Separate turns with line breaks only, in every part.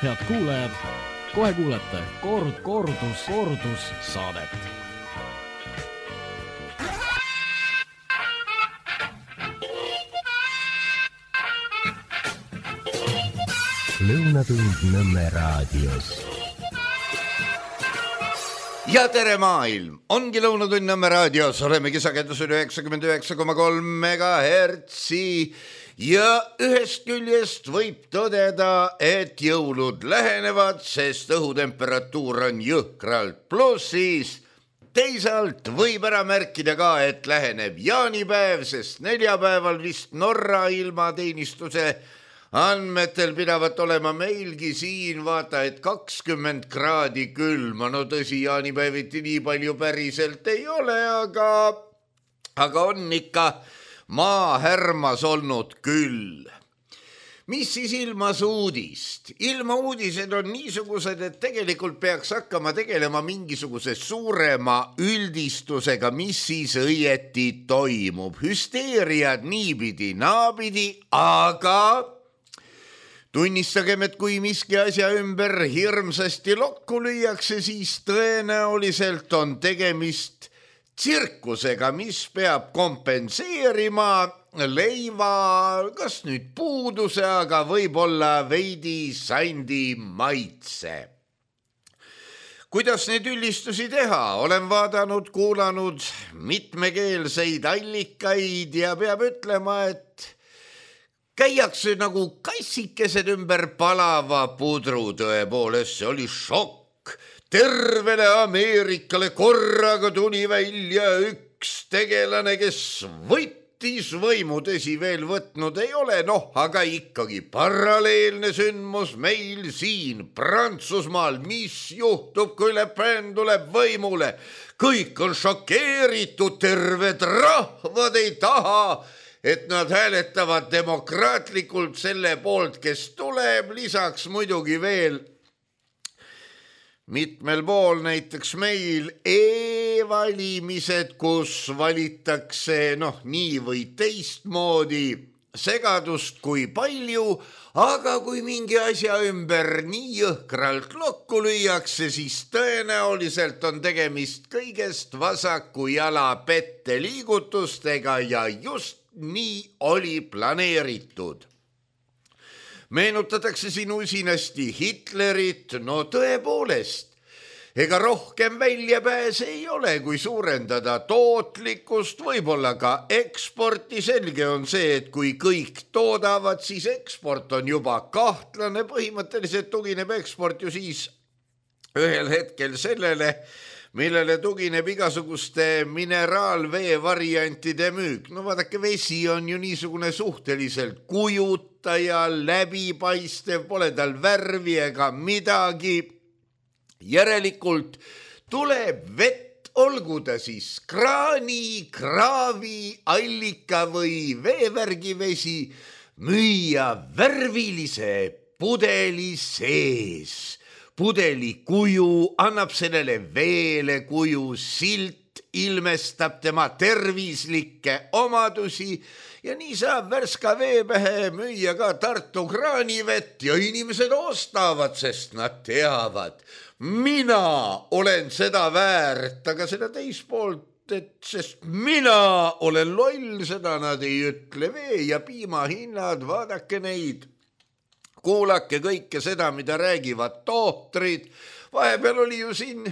Head kuulajad, kohe kuulete kordus saadet.
Lõunatund Nõmme raadios.
Ja tere maailm, ongi Lõunatund Nõmme raadios, olemegi sagedusel 99,3 megahertsi ja ühest küljest võib tõdeda, et jõulud lähenevad, sest õhutemperatuur on jõhkralt plussis. Teisalt võib ära märkida ka, et läheneb jaanipäev, sest neljapäeval vist Norra ilmateenistuse andmetel pidavat olema meilgi siin vaata, et 20 kraadi külma. No tõsi, jaanipäeviti nii palju päriselt ei ole, aga on ikka maahärmas olnud küll. Mis siis ilmas uudist? Ilmauudised on niisugused, et tegelikult peaks hakkama tegelema mingisuguse suurema üldistusega, mis siis õieti toimub. Hüsteeriad niipidi, naapidi, aga tunnistagem, et kui miski asja ümber hirmsasti lokku lüüakse, siis tõenäoliselt on tegemist tsirkusega, mis peab kompenseerima leiva, kas nüüd puuduse, aga võib-olla veidi sandi maitse. Kuidas neid üldistusi teha? Olen vaadanud, kuulanud mitmekeelseid allikaid ja peab ütlema, et käiakse nagu kassikesed ümber palava pudru. Tõepoolest, see oli šokk. Tervele Ameerikale korraga tuli välja üks tegelane, kes võttis võimu, tõsi veel võtnud ei ole, aga ikkagi paralleelne sündmus meil siin Prantsusmaal. Mis juhtub, kui Le Pen tuleb võimule? Kõik on šokeeritud, terved rahvad ei taha, et nad hääletavad demokraatlikult selle poolt, kes tuleb, lisaks muidugi veel mitmel pool, näiteks meil e-valimised, kus valitakse nii või teistmoodi, segadust kui palju, aga kui mingi asja ümber nii jõhkralt lokku lüüakse, siis tõenäoliselt on tegemist kõigest vasaku jala pette liigutustega ja just nii oli planeeritud. Meenutatakse siin usinasti Hitlerit, tõepoolest, ega rohkem väljapääse ei ole, kui suurendada tootlikkust, võib-olla ka eksporti. Selge on see, et kui kõik toodavad, siis eksport on juba kahtlane. Põhimõtteliselt tugineb eksport ju siis ühel hetkel sellele, millele tugineb igasuguste mineraalvee variantide müük. Vaadake, vesi on ju niisugune suhteliselt kujutaja, läbipaistev, pole tal värvi ega midagi. Järelikult tuleb vett, olgu ta siis kraani, kraavi, allika või veevärgi vesi, müüa värvilise pudeli sees. Pudeli kuju annab sellele veele kuju, silt ilmestab tema tervislikke omadusi ja nii saab värska veepähe müüa ka Tartu kraanivett ja inimesed ostavad, sest nad teavad, mina olen seda väärt, aga seda teispoolt, sest mina olen loll, seda nad ei ütle. Vee ja piimahinnad, vaadake neid. Kuulake kõike seda, mida räägivad tohtrid. Vahepeal oli ju siin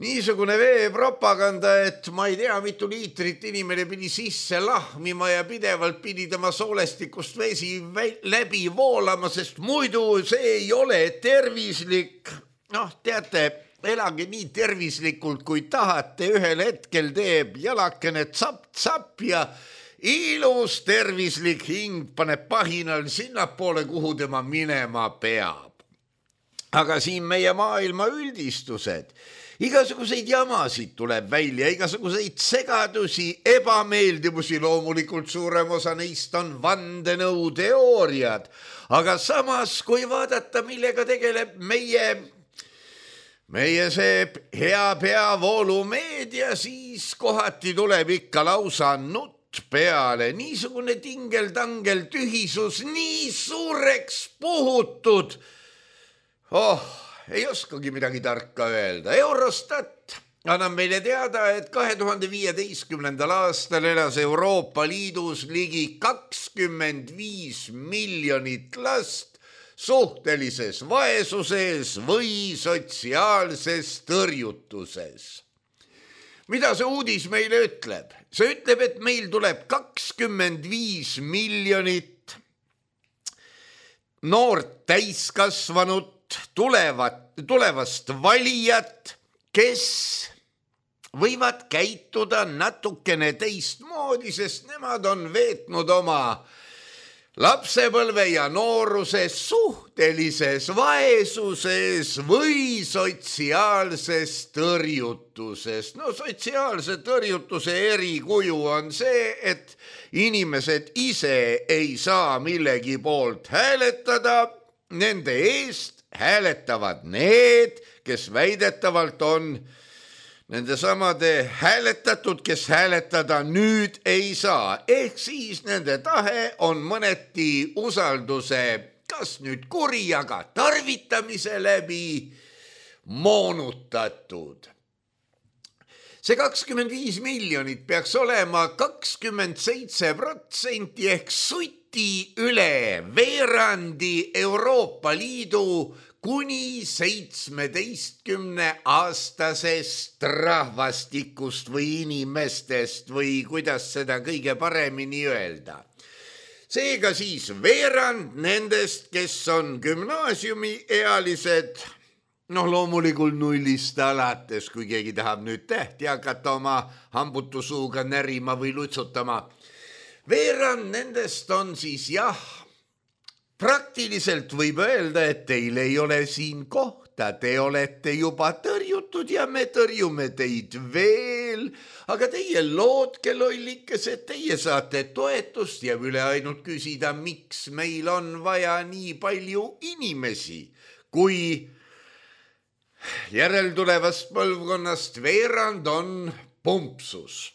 niisugune veepropaganda, et ma ei tea, mitu liitrit inimene pidi sisse lahmima ja pidevalt pidi tema soolestikust vesi läbi voolama, sest muidu see ei ole tervislik. Teate, elage nii tervislikult, kui tahate. Ühel hetkel teeb jalakene tsapp-tsapp ja ilus tervislik hing paneb pahinal sinnapoole, kuhu tema minema peab. Aga siin meie maailma üldistused. Igasuguseid jamasid tuleb välja, igasuguseid segadusi, ebameeldivusi. Loomulikult suurem osa neist on vandenõuteooriad. Aga samas, kui vaadata, millega tegeleb meie see hea peavoolumeedia, siis kohati tuleb ikka lausa nutt peale. Niisugune tingel-tangel tühisus, nii suureks puhutud, Ei oskagi midagi tarka öelda. Eurostat annab meile teada, et 2015. aastal elas Euroopa Liidus ligi 25 miljonit last suhtelises vaesuses või sotsiaalses tõrjutuses. Mida see uudis meile ütleb? See ütleb, et meil tuleb 25 miljonit noort täiskasvanut, tulevast valijat, kes võivad käituda natukene teistmoodi, sest nemad on veetnud oma lapsepõlve ja nooruse suhtelises vaesuses või sotsiaalses tõrjutuses. No sotsiaalse tõrjutuse erikuju on see, et inimesed ise ei saa millegi poolt hääletada, nende eest hääletavad need, kes väidetavalt on nende samade hääletatud, kes hääletada nüüd ei saa. Ehk siis nende tahe on mõneti usalduse kas nüüd kuri, aga tarvitamise läbi moonutatud. See 25 miljonit peaks olema 27% ehk suti üle veerandi Euroopa Liidu kuni 17-aastasest rahvastikust või inimestest või kuidas seda kõige paremini öelda. Seega siis veerand nendest, kes on gümnaasiumiealised, loomulikult nullist alates, kui keegi tahab nüüd tähti hakata oma hambutusuuga närima või lutsutama. Veerand nendest on siis praktiliselt võib öelda, et teil ei ole siin kohta, te olete juba tõrjutud ja me tõrjume teid veel, aga teie lootke lollikesed, teie saate toetust ja üle ainult küsida, miks meil on vaja nii palju inimesi, kui järeltulevast põlvkonnast veerand on pumpsus.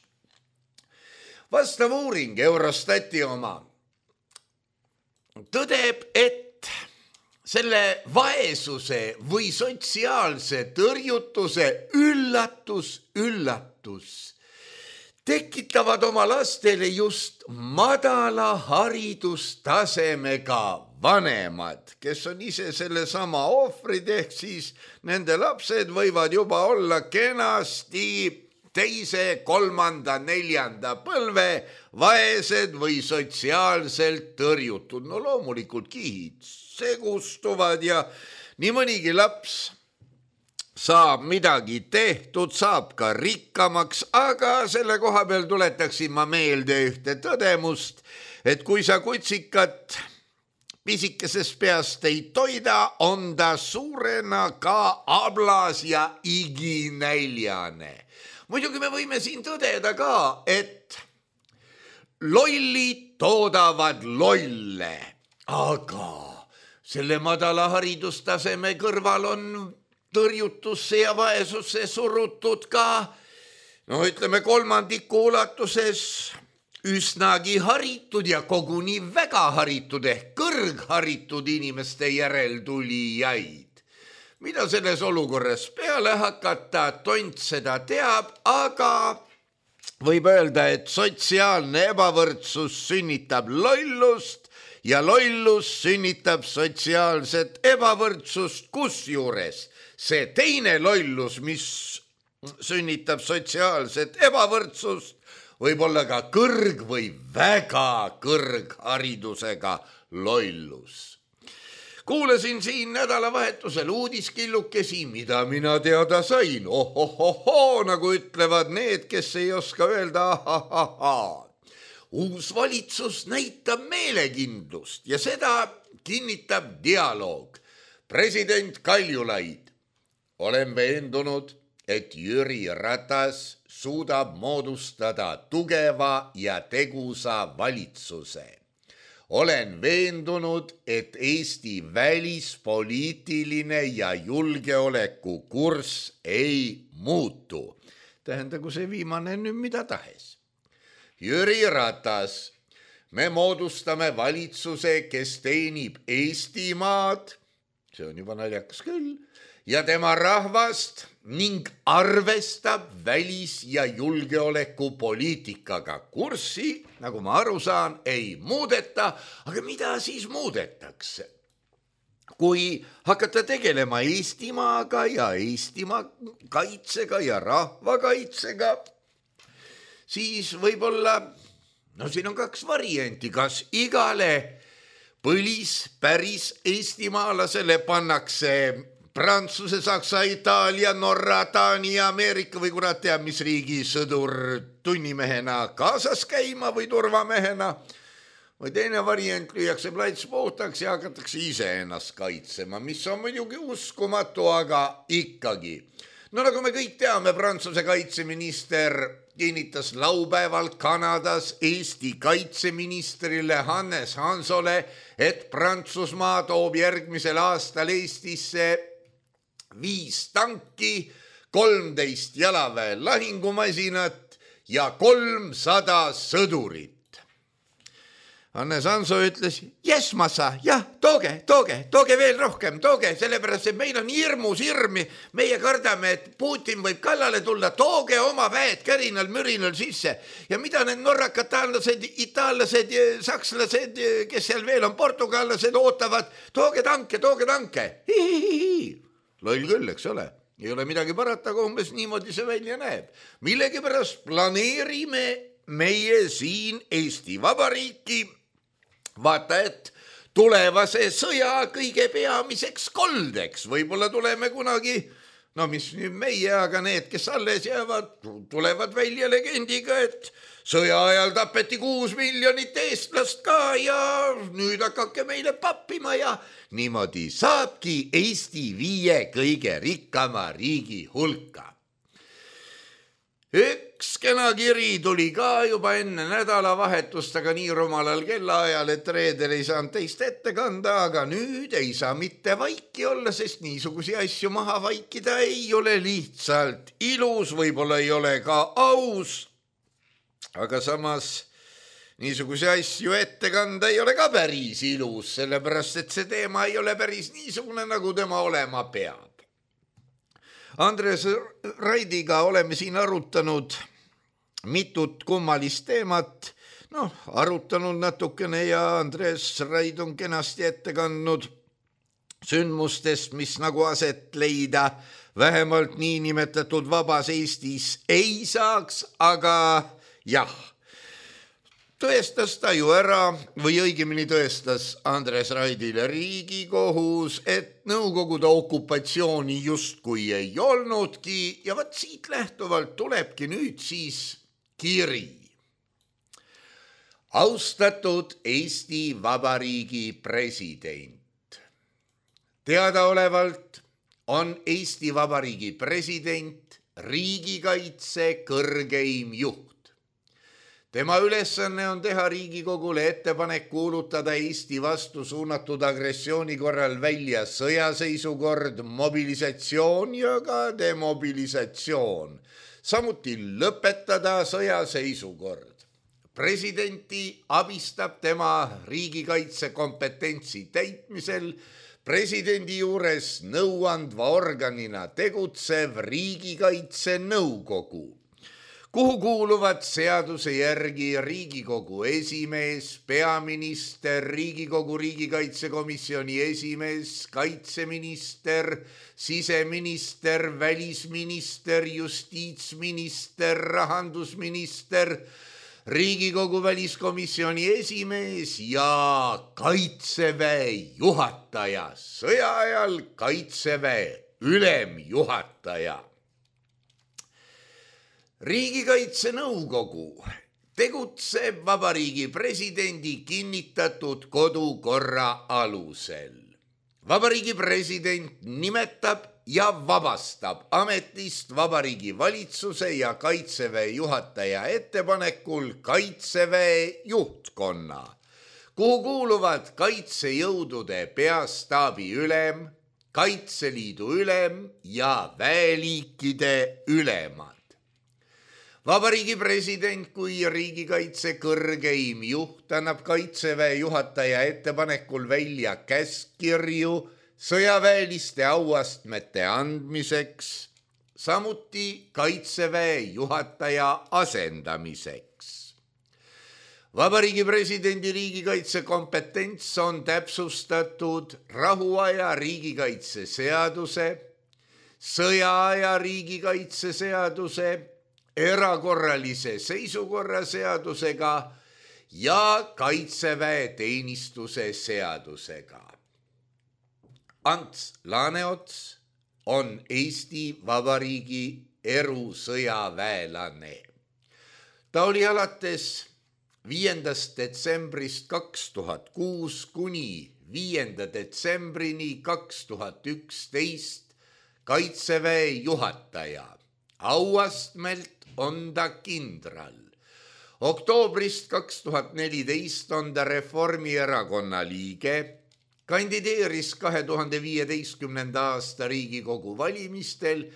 Vastav uuring, Eurostati oma, tõdeb, et selle vaesuse või sotsiaalse tõrjutuse üllatus tekitavad oma lastele just madala haridustasemega vanemad, kes on ise sellesama ohvrid, ehk siis nende lapsed võivad juba olla kenasti teise, kolmanda, neljanda põlve vaesed või sotsiaalselt tõrjutud. No loomulikult kihid segustuvad ja nii mõnigi laps saab midagi tehtud, saab ka rikkamaks, aga selle koha peal tuletaksin ma meelde ühte tõdemust, et kui sa kutsikat pisikesest peast ei toida, on ta suurena ka ablas ja iginäljane. Muidugi me võime siin tõdeda ka, et lollid toodavad lolle, aga selle madala haridustaseme kõrval on tõrjutusse ja vaesusse surutud ka, ütleme kolmandiku ulatuses üsnagi haritud ja koguni väga haritud ehk kõrgharitud inimeste järeltulijaid. Mida selles olukorras peale hakata, tont seda teab, aga võib öelda, et sotsiaalne ebavõrdsus sünnitab lollust ja lollus sünnitab sotsiaalset ebavõrdsust, kusjuures see teine lollus, mis sünnitab sotsiaalset ebavõrdsust, võib olla ka või väga kõrgharidusega lollus. Kuulasin siin nädalavahetusel uudiskillukesi, mida mina teada sain. Nagu ütlevad need, kes ei oska öelda Uus valitsus näitab meelekindlust ja seda kinnitab dialoog. President Kaljulaid: olen veendunud, et Jüri Ratas suudab moodustada tugeva ja tegusa valitsuse. Olen veendunud, et Eesti välispoliitiline ja julgeolekukurss ei muutu. Tähendagu see viimane nüüd mida tahes. Jüri Ratas: me moodustame valitsuse, kes teenib Eestimaad see on juba naljakas küll, ja tema rahvast ning arvestab välis- ja julgeolekupoliitikaga kurssi, nagu ma aru saan, ei muudeta, aga mida siis muudetakse? Kui hakata tegelema Eestimaaga ja Eestimaa kaitsega ja rahvakaitsega, siis võib-olla, siin on 2 varianti, kas igale päris eestimaalasele pannakse Prantsuse, Saksa, Itaalia, Norra, Taani ja Ameerika või kurat teab, mis riigi sõdur tunnimehena kaasas käima või turvamehena, või teine variant, lüüakse plats puhtaks ja hakatakse ise ennast kaitsema, mis on muidugi uskumatu, aga ikkagi. No nagu me kõik teame, Prantsuse kaitseminister kinnitas laupäeval Kanadas Eesti kaitseministrile Hannes Hansole, et Prantsusmaa toob järgmisel aastal Eestisse 5 tanki, 13 jalaväe lahingumasinat ja 300 sõdurit. Hannes Hanso ütles, jes massa, jah, tooge veel rohkem, tooge, sellepärast, et meil on hirmus hirmi, meie kardame, et Putin võib kallale tulla, tooge oma väed kärinal-mürinal sisse. Ja mida need norrakad, taanlased, itaallased, sakslased, kes seal veel on, portugallased ootavad, tooge tanke. Loll küll, eks ole, ei ole midagi parata, aga umbes niimoodi see välja näeb. Millegipärast planeerime meie siin Eesti Vabariiki, vaata, et tulevase sõja kõige peamiseks koldeks, võib-olla tuleme kunagi, mis nüüd meie, aga need, kes alles jäävad, tulevad välja legendiga, et sõja ajal tapeti 6 miljonit eestlast ka ja nüüd hakake meile pappima ja niimoodi saabki Eesti 5 kõige rikkama riigi hulka. Üks kena kiri tuli ka juba enne nädalavahetust, aga nii rumalal kellaajal, et reedel ei saanud teist ette kanda, aga nüüd ei saa mitte vaiki olla, sest niisugusi asju maha vaikida ei ole lihtsalt ilus, võib-olla ei ole ka aus, aga samas niisuguse asju ette kanda ei ole ka päris ilus, sellepärast et see teema ei ole päris niisugune, nagu tema olema peab. Andres Raidiga oleme siin arutanud mitut kummalist teemat, arutanud natukene ja Andres Raid on kenasti ette kandnud sündmustest, mis nagu aset leida vähemalt niinimetatud vabas Eestis ei saaks, aga jah, tõestas ta ju ära või õigemini tõestas Andres Raidile Riigikohus, et Nõukogude okupatsiooni justkui ei olnudki ja vaat siit lähtuvalt tulebki nüüd siis kiri. Austatud Eesti Vabariigi president. Teadaolevalt on Eesti Vabariigi president riigikaitse kõrgeim juht. Tema ülesanne on teha Riigikogule ettepanek kuulutada Eesti vastu suunatud agressiooni korral välja sõjaseisukord, mobilisatsioon ja ka demobilisatsioon. Samuti lõpetada sõjaseisukord. Presidenti abistab tema riigikaitse kompetentsi täitmisel presidendi juures nõuandva organina tegutsev Riigikaitse Nõukogu, kuhu kuuluvad seaduse järgi Riigikogu esimees, peaminister, Riigikogu riigikaitsekomisjoni esimees, kaitseminister, siseminister, välisminister, justiitsminister, rahandusminister, Riigikogu väliskomisjoni esimees ja kaitseväe juhataja, sõja ajal kaitseväe ülemjuhataja. Riigikaitse Nõukogu tegutseb Vabariigi presidendi kinnitatud kodukorra alusel. Vabariigi president nimetab ja vabastab ametist Vabariigi valitsuse ja kaitseväe juhataja ettepanekul kaitseväe juhtkonna, kuhu kuuluvad kaitsejõudude peastaabi ülem, Kaitseliidu ülem ja väeliikide ülemad. Vabariigi president kui riigikaitse kõrgeim juht annab kaitseväe juhataja ettepanekul välja käskkirju sõjaväeliste auastmete andmiseks, samuti kaitseväe juhataja asendamiseks. Vabariigi presidendi riigikaitse kompetents on täpsustatud rahuaja riigikaitse seaduse, sõjaaja riigikaitse seaduse, erakorralise seisukorra seadusega ja kaitseväe teenistuse seadusega. Ants Laaneots on Eesti Vabariigi erusõjaväelane. Ta oli alates 5. detsembrist 2006 kuni 5. detsembrini 2011 kaitseväe juhataja. Auastmelt on ta kindral. Oktoobrist 2014 on ta Reformierakonna liige, kandideeris 2015. aasta Riigikogu valimistel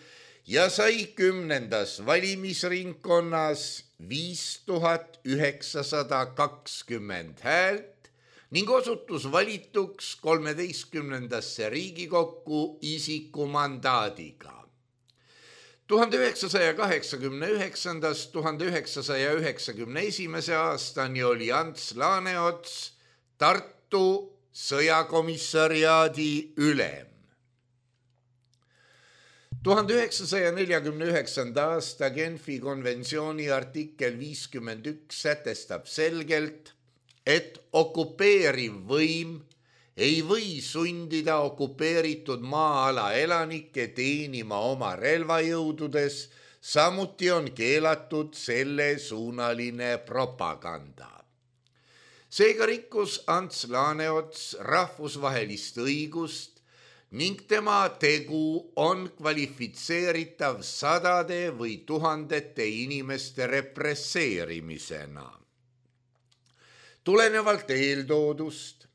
ja sai 10. valimisringkonnas 5920 häält ning osutus valituks 13. Riigikokku isikumandaadiga. 1989–1991 aastani oli Ants Laaneots Tartu sõjakomissariaadi ülem. 1949. aasta Genfi konventsiooni artikkel 51 sätestab selgelt, et okupeeriv võim ei või sundida okupeeritud maa-ala elanikke teenima oma relvajõududes, samuti on keelatud sellesuunaline propaganda. Seega rikkus Ants Laaneots rahvusvahelist õigust ning tema tegu on kvalifitseeritav sadade või tuhandete inimeste represseerimisena. Tulenevalt eeltoodust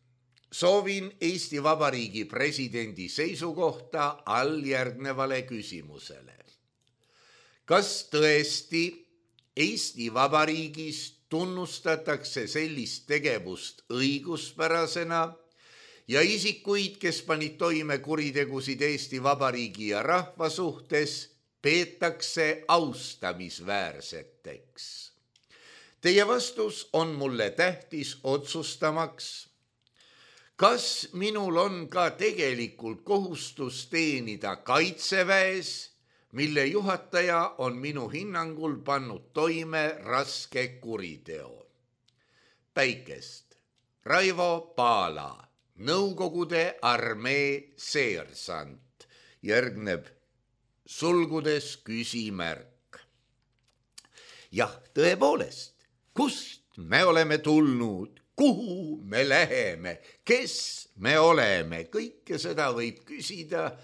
soovin Eesti Vabariigi presidendi seisukohta alljärgnevale küsimusele. Kas tõesti Eesti Vabariigis tunnustatakse sellist tegevust õiguspärasena ja isikuid, kes panid toime kuritegusid Eesti Vabariigi ja rahva suhtes, peetakse austamisväärseteks? Teie vastus on mulle tähtis otsustamaks, kas minul on ka tegelikult kohustus teenida kaitseväes, mille juhataja on minu hinnangul pannud toime raske kuriteo. Päikest. Raivo Paala, Nõukogude armee seersant. Järgneb sulgudes küsimärk. Jah, tõepoolest, kust me oleme tulnud? Kuhu me läheme, kes me oleme, kõike seda võib küsida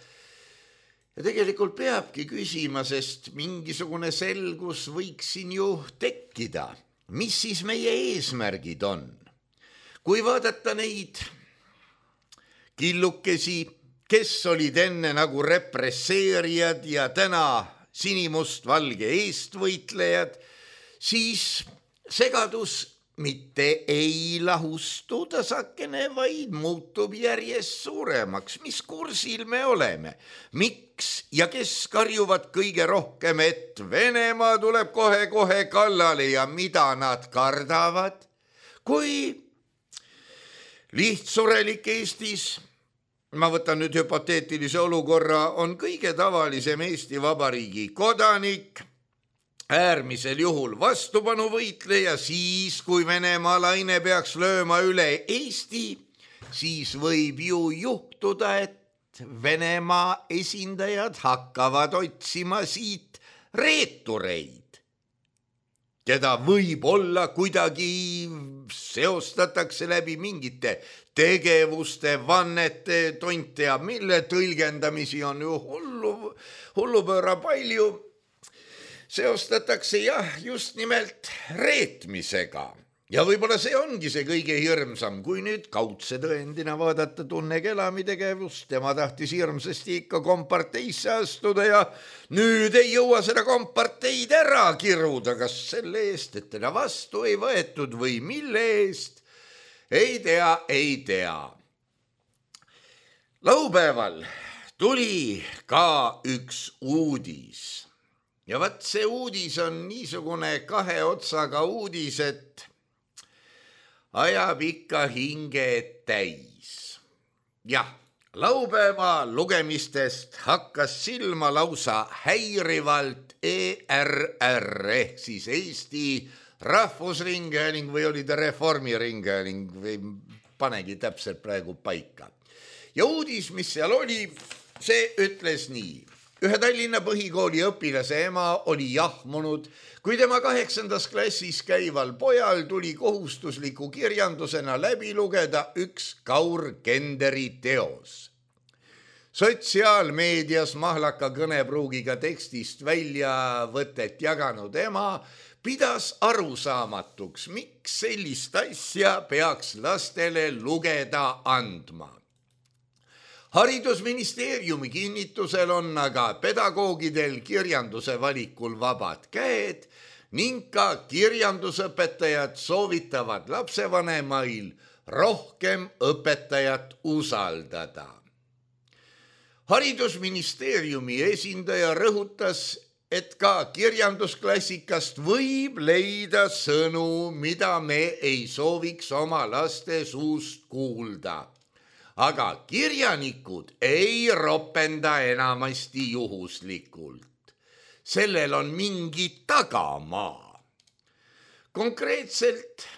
ja tegelikult peabki küsima, sest mingisugune selgus võiks siin ju tekkida. Mis siis meie eesmärgid on? Kui vaadata neid killukesi, kes olid enne nagu represseerijad ja täna sinimustvalge eestvõitlejad, siis segadus mitte ei lahustu tasakene, vaid muutub järjest suuremaks. Mis kursil me oleme? Miks ja kes karjuvad kõige rohkem, et Venemaa tuleb kohe-kohe kallale ja mida nad kardavad? Kui lihtsurelik Eestis, ma võtan nüüd hüpoteetilise olukorra, on kõige tavalisem Eesti Vabariigi kodanik, äärmisel juhul vastupanuvõitleja, siis kui Venemaa laine peaks lööma üle Eesti, siis võib ju juhtuda, et Venemaa esindajad hakkavad otsima siit reetureid, keda võib-olla kuidagi seostatakse läbi mingite tegevuste, vannete, tont teab mille, tõlgendamisi on ju hullupööra palju, seostatakse jah, just nimelt reetmisega. Ja võib-olla see ongi see kõige hirmsam, kui nüüd kaudse tõendina vaadata Tunne Kelami tegevust. Tema tahtis hirmsasti ikka komparteisse astuda ja nüüd ei jõua seda komparteid ära kiruda. Kas selle eest, et teda vastu ei võetud või mille eest? Ei tea. Laupäeval tuli ka üks uudis ja vaat see uudis on niisugune kahe otsaga uudis, et ajab ikka hinge täis. Jah, laupäeva lugemistest hakkas silma lausa häirivalt ERR ehk siis Eesti Rahvusringhääling või oli ta Reformiringhääling või panegi täpselt praegu paika. Ja uudis, mis seal oli, see ütles nii. Ühe Tallinna põhikooli õpilase ema oli jahmunud, kui tema 8. klassis käival pojal tuli kohustusliku kirjandusena läbi lugeda üks Kaur Kenderi teos. Sotsiaalmeedias mahlaka kõnepruugiga tekstist väljavõtet jaganud ema pidas arusaamatuks, miks sellist asja peaks lastele lugeda andma. Haridusministeeriumi kinnitusel on aga pedagoogidel kirjanduse valikul vabad käed ning ka kirjandusõpetajad soovitavad lapsevanemail rohkem õpetajat usaldada. Haridusministeeriumi esindaja rõhutas, et ka kirjandusklassikast võib leida sõnu, mida me ei sooviks oma laste suust kuulda. Aga kirjanikud ei ropenda enamasti juhuslikult. Sellel on mingi tagamaa. Konkreetselt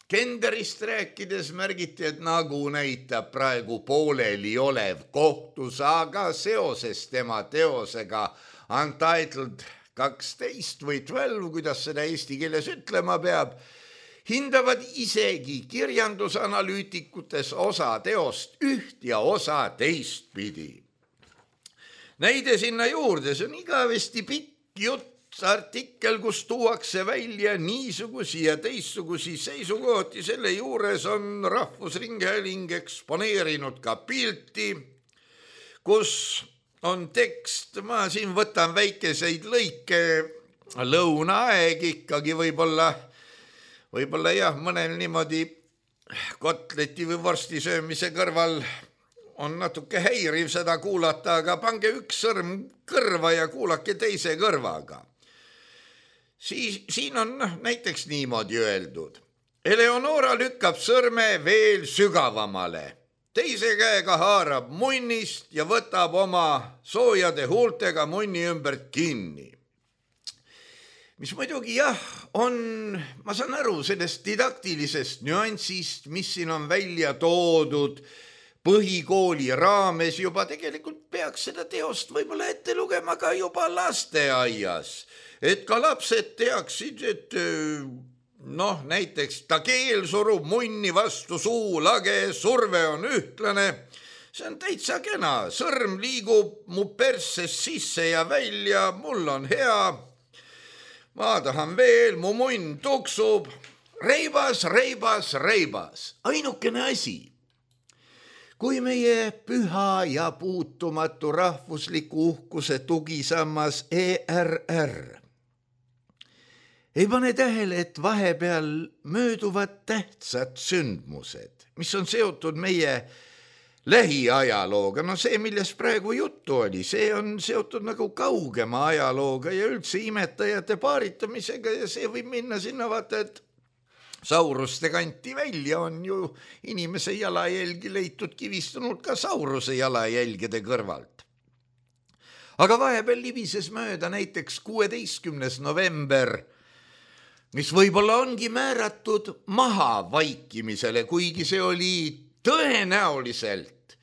Kenderist rääkides märgiti, et nagu näitab praegu pooleli olev kohtusaga seoses tema teosega Untitled 12 või 12, kuidas seda eesti keeles ütlema peab, hindavad isegi kirjandusanalüütikutes osa teost üht ja osa teistpidi. Näide sinna juurde, see on igavesti pikk jutt, artikkel, kus tuuakse välja niisugusi ja teistsugusi seisukohti, selle juures on Rahvusringhääling eksponeerinud ka pilti, kus on tekst, ma siin võtan väikeseid lõike, lõunaaeg ikkagi võib-olla jah, mõnel niimoodi kotleti või vorsti söömise kõrval on natuke häiriv seda kuulata, aga pange üks sõrm kõrva ja kuulake teise kõrvaga. Siin on näiteks niimoodi öeldud. Eleonora lükkab sõrme veel sügavamale. Teise käega haarab munnist ja võtab oma soojade huultega munni ümbert kinni. Mis muidugi jah, ma saan aru sellest didaktilisest nüansist, mis siin on välja toodud põhikooli raames juba, tegelikult peaks seda teost võib-olla ette lugema ka juba lasteaias, et ka lapsed teaksid, et näiteks ta keel surub munni vastu suu lage, surve on ühtlane, see on täitsa kena, sõrm liigub mu persest sisse ja välja, mul on hea, ma tahan veel, mu munn tuksub, reibas, ainukene asi. Kui meie püha ja puutumatu rahvusliku uhkuse tugisammas ERR ei pane tähele, et vahepeal mööduvad tähtsad sündmused, mis on seotud meie lähiajalooga. See, millest praegu juttu oli, see on seotud nagu kaugema ajalooga ja üldse imetajate paaritamisega ja see võib minna sinna vaata, et Sauruste kanti välja on ju inimese jalajälgi leitud kivistunud ka Sauruse jalajälgede kõrvalt. Aga vahepeal libises mööda näiteks 16. november, mis võib-olla ongi määratud maha vaikimisele, kuigi see oli tõenäoliselt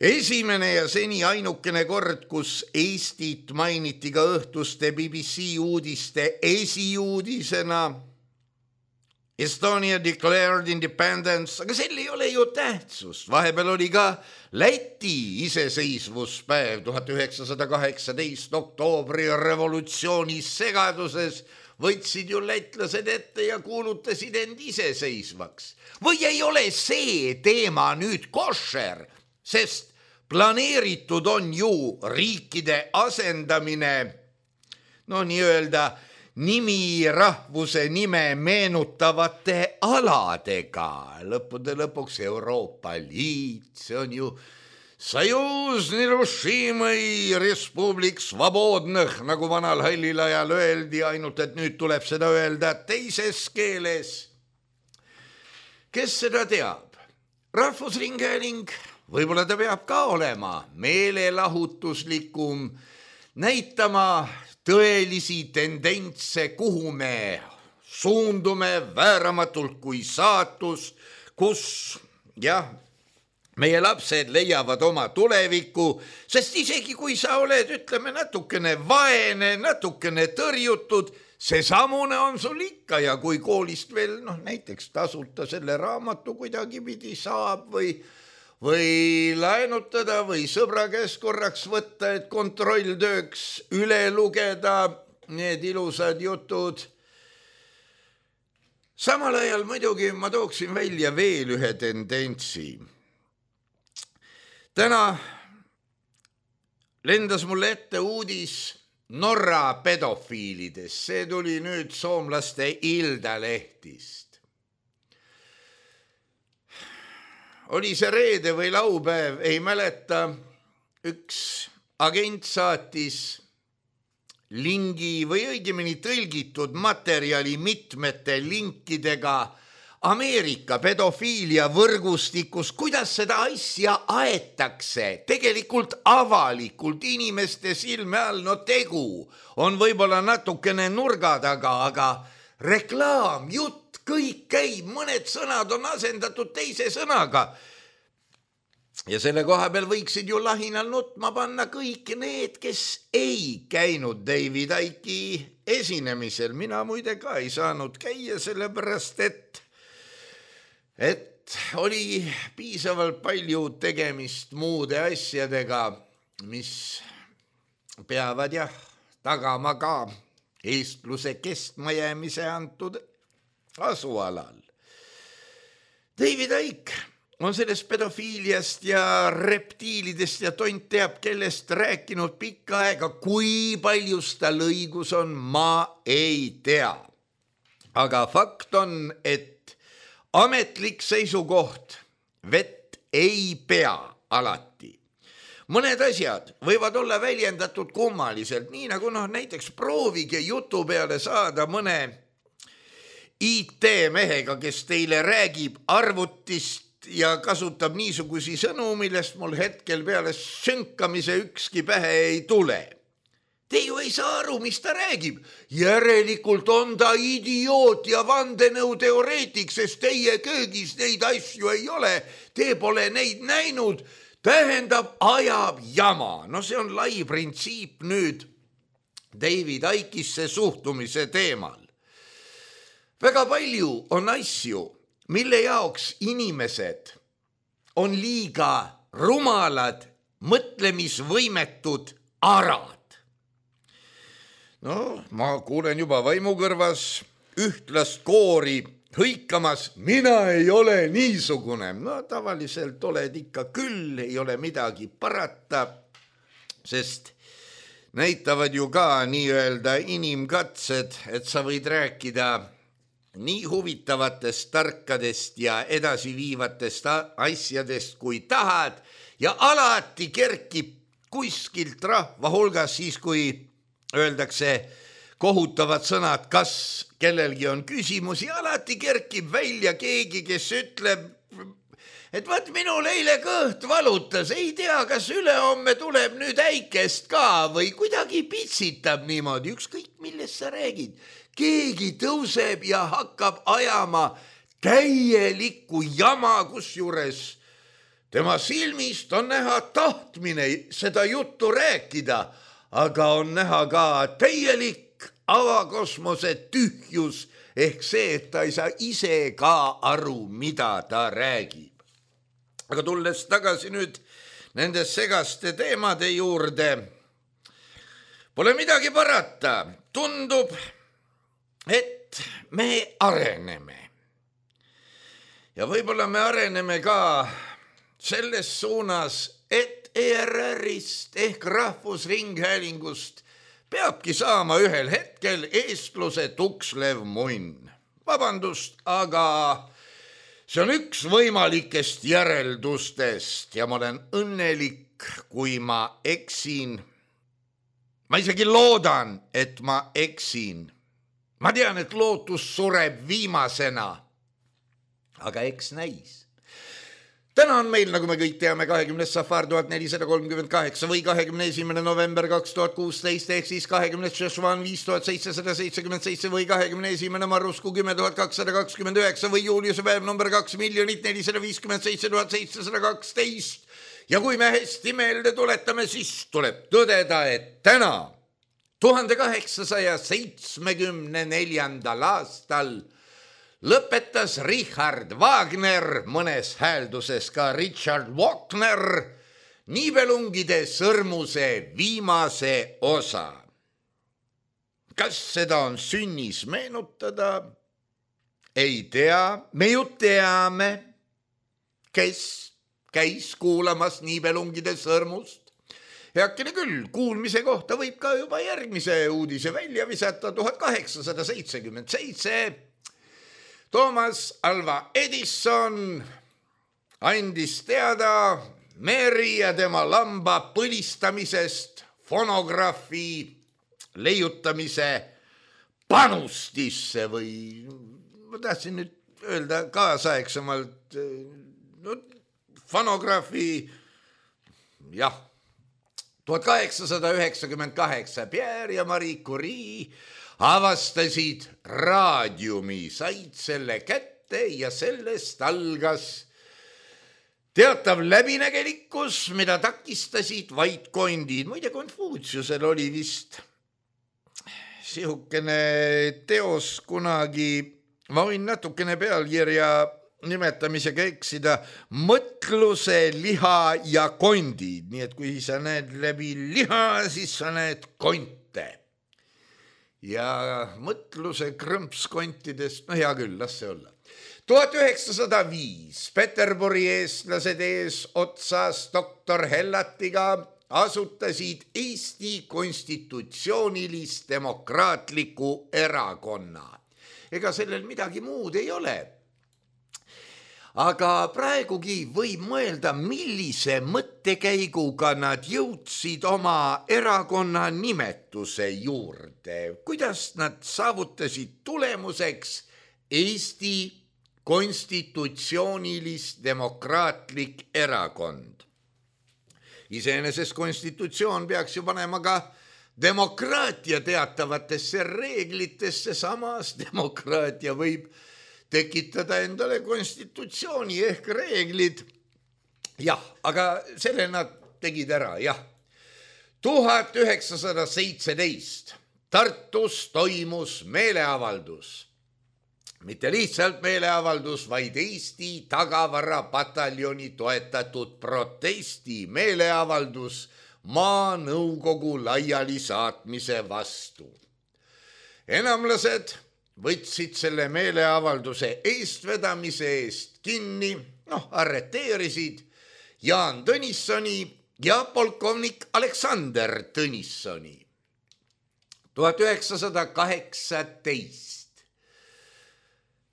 esimene ja seni ainukene kord, kus Eestit mainiti ka õhtuste BBC uudiste esiuudisena. Estonia declared independence, aga sel ei ole ju tähtsust. Vahepeal oli ka Läti iseseisvuspäev 1918 oktoobri revolutsiooni segaduses. Võtsid ju lätlased ette ja kuulutasid end iseseisvaks. Või ei ole see teema nüüd košer, sest planeeritud on ju riikide asendamine nii-öelda nimi rahvuse nime meenutavate aladega. Lõppude lõpuks Euroopa Liit, see on ju Союз нерушимый Respublik Svobodnõh, nagu vanal hallil ajal öeldi, ainult et nüüd tuleb seda öelda teises keeles. Kes seda teab? Rahvusringhääling, võib-olla ta peab ka olema meelelahutuslikum, näitama tõelisi tendentse, kuhu me suundume vääramatult kui saatus, kus meie lapsed leiavad oma tuleviku, sest isegi kui sa oled, ütleme, natukene vaene, natukene tõrjutud, see samune on sul ikka ja kui koolist veel näiteks tasuta selle raamatu kuidagi pidi saab või laenutada või sõbra käest korraks võtta, et kontrolltööks üle lugeda need ilusad jutud. Samal ajal muidugi ma tooksin välja veel ühe tendentsi. Täna lendas mulle ette uudis Norra pedofiilidest. See tuli nüüd soomlaste Iltalehtist. Oli see reede või laupäev, ei mäleta. Üks agent saatis lingi või õigemini tõlgitud materjali mitmete linkidega Ameerika pedofiilia võrgustikus, kuidas seda asja aetakse, tegelikult avalikult inimeste silme all, tegu on võib-olla natukene nurga taga, aga reklaam, jutt, kõik käib, mõned sõnad on asendatud teise sõnaga. Ja selle koha peal võiksid ju lahinal nutma panna kõik need, kes ei käinud David Icke esinemisel. Mina muide ka ei saanud käia, sellepärast et oli piisavalt palju tegemist muude asjadega, mis peavad tagama ka eestluse kestmajäämise antud asualal. David Icke on sellest pedofiiliast ja reptiilidest ja tont teab kellest rääkinud pikka aega, kui paljus tal õigus on, ma ei tea. Aga fakt on, et ametlik seisukoht vett ei pea alati. Mõned asjad võivad olla väljendatud kummaliselt, nii nagu näiteks proovige jutu peale saada mõne IT-mehega, kes teile räägib arvutist ja kasutab niisugusi sõnu, millest mul hetkel peale sünkamise ükski pähe ei tule. Te ju ei saa aru, mis ta räägib. Järelikult on ta idioot ja vandenõuteoreetik, sest teie köögis neid asju ei ole. Te pole neid näinud. Tähendab, ajab jama. See on lai printsiip nüüd David Icke'isse suhtumise teemal. Väga palju on asju, mille jaoks inimesed on liiga rumalad, mõtlemisvõimetud arad. Ma kuulen juba vaimukõrvas ühtlast koori hõikamas, mina ei ole niisugune. Tavaliselt oled ikka küll, ei ole midagi parata, sest näitavad ju ka nii-öelda inimkatsed, et sa võid rääkida nii huvitavatest, tarkadest ja edasiviivatest asjadest, kui tahad, ja alati kerkib kuskilt rahva hulgas siis, kui öeldakse kohutavad sõnad, kas kellelgi on küsimusi, alati kerkib välja keegi, kes ütleb, et vaat minul eile kõht valutas, ei tea, kas ülehomme tuleb nüüd äikest ka või kuidagi pitsitab niimoodi, ükskõik millest sa räägid. Keegi tõuseb ja hakkab ajama täielikku jama, kusjuures tema silmist on näha tahtmine seda juttu rääkida, aga on näha ka täielik avakosmose tühjus ehk see, et ta ei saa ise ka aru, mida ta räägib. Aga tulles tagasi nüüd nende segaste teemade juurde, pole midagi parata. Tundub, et me areneme. Ja võib-olla me areneme ka selles suunas, et ERR-ist ehk Rahvusringhäälingust peabki saama ühel hetkel eestluse tukslev munn. Vabandust, aga see on üks võimalikest järeldustest ja ma olen õnnelik, kui ma eksin. Ma isegi loodan, et ma eksin. Ma tean, et lootus sureb viimasena, aga eks näis. Täna on meil, nagu me kõik teame, 20. safar 1438 või 21. november 2016 ehk siis 20. šešvan 5777 või 21. marrusku 10229 või juuliuse päev number 2 457 712. Ja kui me hästi meelde tuletame, siis tuleb tõdeda, et täna 1874. aastal lõpetas Richard Wagner, mõnes häälduses ka Richard Wagner, Nibelungide sõrmuse viimase osa. Kas seda on sünnis meenutada? Ei tea, me ju teame, kes käis kuulamas Nibelungide sõrmust. Heakene küll, kuulmise kohta võib ka juba järgmise uudise välja visata. 1877 Thomas Alva Edison andis teada Mary ja tema lamba põlistamisest fonograafi leiutamise panustisse või ma tahtsin nüüd öelda kaasaegsemalt fonograafi, jah, 1898 Pierre ja Marie Curie avastasid raadiumi, said selle kätte ja sellest algas teatav läbinägelikkus, mida takistasid vaid kondid. Muide, Konfutsiusel oli vist sihukene teos kunagi, ma võin natukene pealkirja nimetamisega eksida, mõtluse, liha ja kondid. Nii et kui sa näed läbi liha, siis sa näed konte. Ja mõtluse krõmpskontidest, no hea küll, las see olla. 1905 Peterburi eestlased ees otsas doktor Hellatiga asutasid Eesti konstitutsioonilist demokraatliku erakonna. Ega sellel midagi muud ei ole. Aga praegugi võib mõelda, millise mõttekäiguga nad jõudsid oma erakonna nimetuse juurde. Kuidas nad saavutasid tulemuseks Eesti konstitutsioonilist demokraatlik erakond. Iseenesest konstitutsioon peaks ju panema ka demokraatia teatavatesse reeglitesse, samas demokraatia võib tekitada endale konstitutsiooni ehk reeglid. Jah, aga selle nad tegid ära, jah. 1917 Tartus toimus meeleavaldus. Mitte lihtsalt meeleavaldus, vaid Eesti tagavarapataljoni toetatud protesti meeleavaldus maanõukogu laiali saatmise vastu. Enamlased võtsid selle meeleavalduse eestvedamise eest kinni, arreteerisid Jaan Tõnissoni ja polkovnik Aleksander Tõnissoni. 1918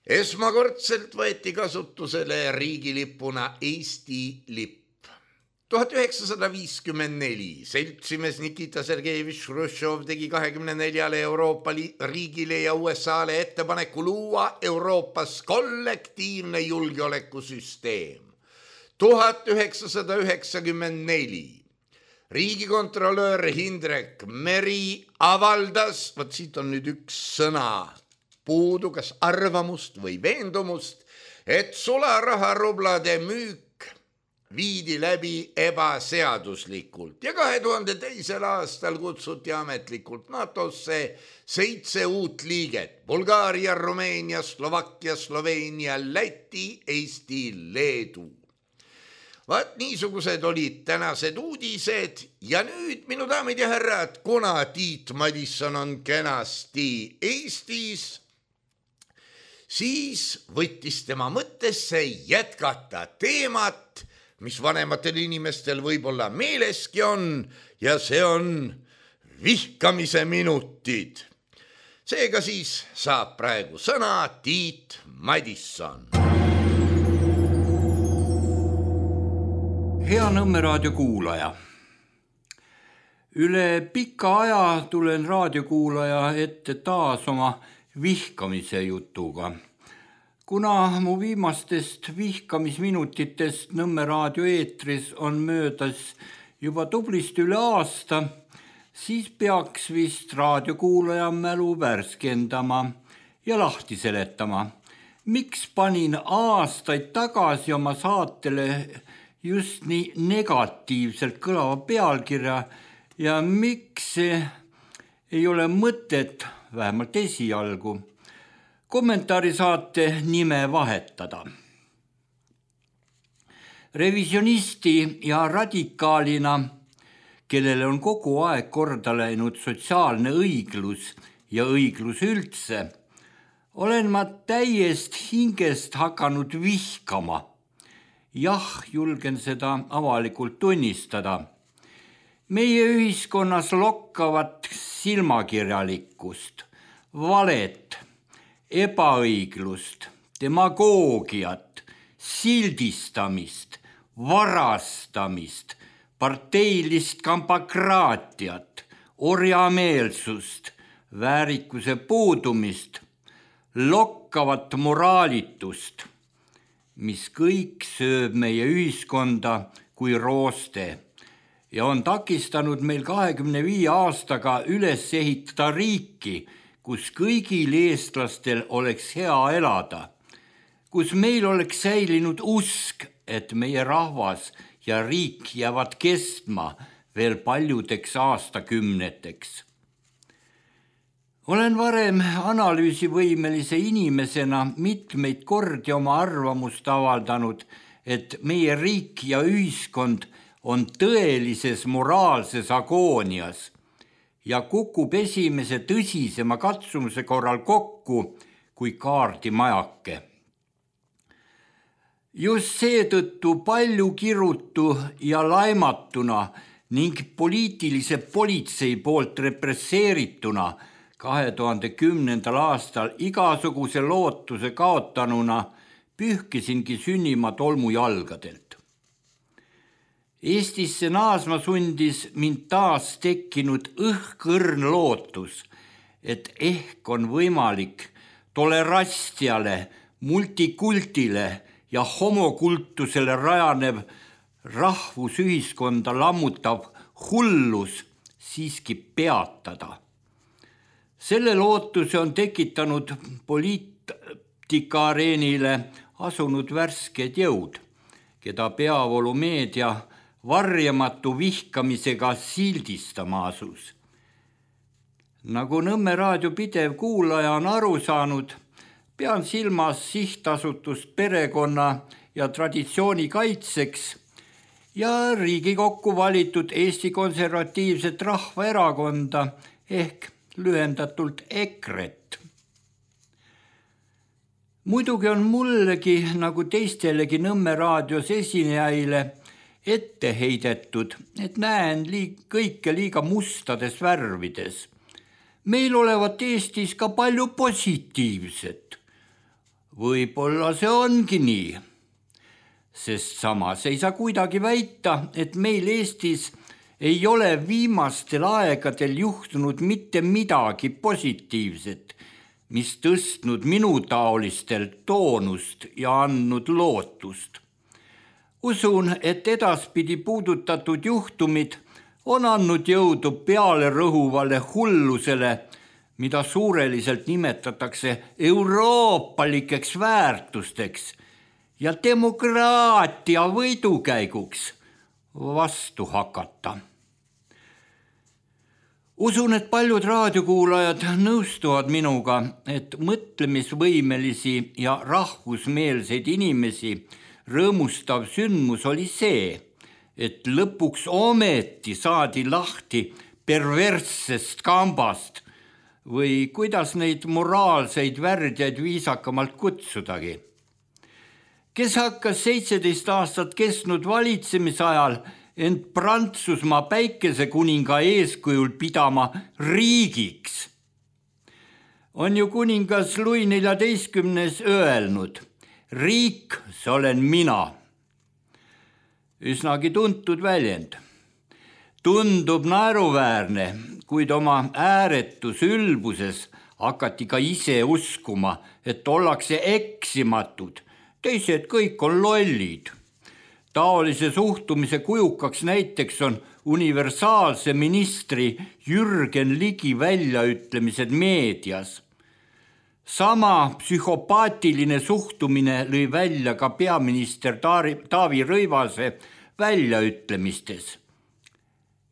esmakordselt võeti kasutusele riigilippuna Eesti lipp. 1954 seltsimees Nikita Sergejevitš Hruštšov tegi 24 Euroopa riigile ja USA-le ettepaneku luua Euroopas kollektiivne julgeolekusüsteem. 1994 riigikontrolöör Hindrek Meri avaldas, siit on nüüd üks sõna puudu, kas arvamust või veendumust, et sularaharublade müük viidi läbi ebaseaduslikult ja 2002. aastal kutsuti ametlikult NATO-sse 7 uut liiget: Bulgaaria, Rumeenia, Slovakkia, Sloveenia, Läti, Eesti, Leedu. Vaat niisugused olid tänased uudised ja nüüd, minu daamid ja härrad, kuna Tiit Madisson on kenasti Eestis, siis võttis tema mõttesse jätkata teemat, mis vanematel inimestel võib-olla meeleski on, ja see on vihkamise minutid. Seega siis saab praegu sõna Tiit Madisson.
Hea Nõmme raadio kuulaja. Üle pika aja tulen raadiokuulaja ette taas oma vihkamise jutuga. Kuna mu viimastest vihkamisminutitest Nõmme raadio eetris on möödas juba tublist üle aasta, siis peaks vist raadiokuulaja mälu värskendama ja lahti seletama, miks panin aastaid tagasi oma saatele just nii negatiivselt kõlava pealkirja ja miks ei ole mõtet, vähemalt esialgu, kommentaarisaate nime vahetada. Revisionisti ja radikaalina, kellele on kogu aeg korda läinud sotsiaalne õiglus ja õiglus üldse, olen ma täiest hingest hakanud vihkama. Jah, julgen seda avalikult tunnistada. Meie ühiskonnas lokkavat silmakirjalikkust, valet, ebaõiglust, demagoogiat, sildistamist, varastamist, parteilist kampakraatiat, orjameelsust, väärikuse puudumist, lokkavat moraalitust, mis kõik sööb meie ühiskonda kui rooste ja on takistanud meil 25 aastaga üles ehitada riiki, kus kõigil eestlastel oleks hea elada, kus meil oleks säilinud usk, et meie rahvas ja riik jäävad kestma veel paljudeks aastakümneteks. Olen varem analüüsivõimelise inimesena mitmeid kordi oma arvamust avaldanud, et meie riik ja ühiskond on tõelises moraalses agoonias ja kukub esimese tõsisema katsumuse korral kokku kui kaardimajake. Just seetõttu palju kirutu ja laimatuna ning poliitilise politsei poolt represseerituna 2010. aastal igasuguse lootuse kaotanuna pühkisingi sünnima tolmujalgadelt. Eestisse naasma sundis mind taas tekkinud õhkõrn lootus, et ehk on võimalik tolerantsiale, multikultile ja homokultusele rajanev rahvusühiskonda lammutav hullus siiski peatada. Selle lootuse on tekitanud poliitikaareenile asunud värsked jõud, keda peavoolumeedia varjamatu vihkamisega sildistama asus. Nagu Nõmme raadio pidev kuulaja on aru saanud, pean silmas sihtasutust perekonna ja traditsiooni kaitseks ja Riigikokku valitud Eesti Konservatiivset Rahvaerakonda ehk lühendatult EKRE-t. Muidugi on mullegi nagu teistelegi Nõmme raadios esinejaile ette heidetud, et näen kõike liiga mustades värvides. Meil olevat Eestis ka palju positiivset. Võib-olla see ongi nii, sest samas ei saa kuidagi väita, et meil Eestis ei ole viimastel aegadel juhtunud mitte midagi positiivset, mis tõstnud minutaolistel toonust ja andnud lootust. Usun, et edaspidi puudutatud juhtumid on andnud jõudu peale rõhuvale hullusele, mida suureliselt nimetatakse euroopalikeks väärtusteks ja demokraatia võidukäiguks vastu hakata. Usun, et paljud raadiokuulajad nõustuvad minuga, et mõtlemisvõimelisi ja rahvusmeelseid inimesi rõõmustav sündmus oli see, et lõpuks ometi saadi lahti perverssest kambast või kuidas neid moraalseid värdjaid viisakamalt kutsudagi. Kes hakkas 17 aastat kestnud valitsemisajal ent Prantsusmaa päikesekuninga eeskujul pidama riigiks. On ju kuningas Louis XIV öelnud, riik, see olen mina. Üsnagi tuntud väljend. Tundub naeruväärne, kuid oma ääretus ülbuses hakati ka ise uskuma, et ollakse eksimatud, teised kõik on lollid. Taolise suhtumise kujukaks näiteks on universaalse ministri Jürgen Ligi väljaütlemised meedias. Sama psühhopaatiline suhtumine lõi välja ka peaminister Taavi Rõivase väljaütlemistes.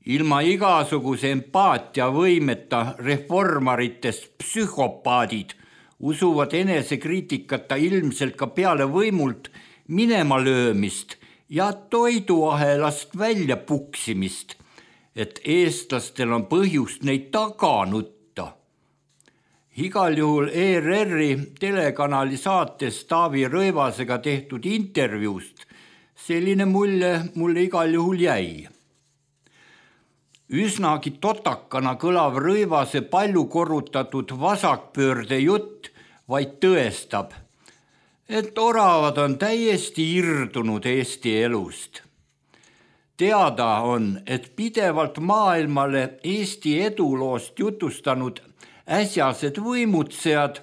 Ilma igasuguse empaatiavõimeta reformaritest psühhopaadid usuvad enesekriitikata ilmselt ka peale võimult minema löömist ja toiduahelast välja puksimist, et eestlastel on põhjust neid taga nutta. Igal juhul ERR-i telekanali saates Taavi Rõivasega tehtud intervjuust selline mulje mulle igal juhul jäi. Üsnagi totakana kõlav Rõivase palju korrutatud vasakpöörde jutt vaid tõestab, et oravad on täiesti irdunud Eesti elust. Teada on, et pidevalt maailmale Eesti eduloost jutustanud äsjased võimutsejad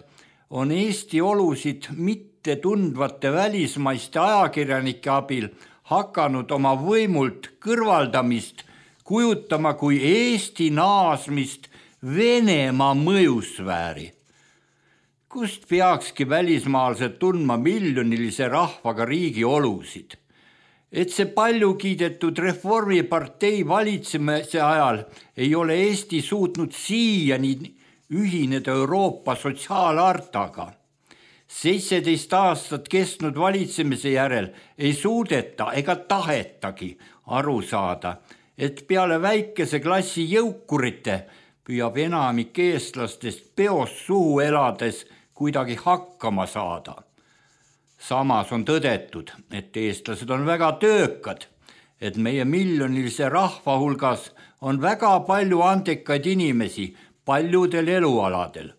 on Eesti olusid mitte tundvate välismaiste ajakirjanike abil hakanud oma võimult kõrvaldamist kujutama kui Eesti naasmist Venemaa mõjusfääri, kust peakski välismaalased tundma miljonilise rahvaga riigi olusid. Et see palju kiidetud Reformipartei valitsemise ajal ei ole Eesti suutnud siiani ühineda Euroopa sotsiaalhartaga. 17 aastat kestnud valitsemise järel ei suudeta ega tahetagi aru saada, et peale väikese klassi jõukurite püüab enamik eestlastest peos suhu elades kuidagi hakkama saada. Samas on tõdetud, et eestlased on väga töökad, et meie miljonilise rahva hulgas on väga palju andekaid inimesi paljudel elualadel.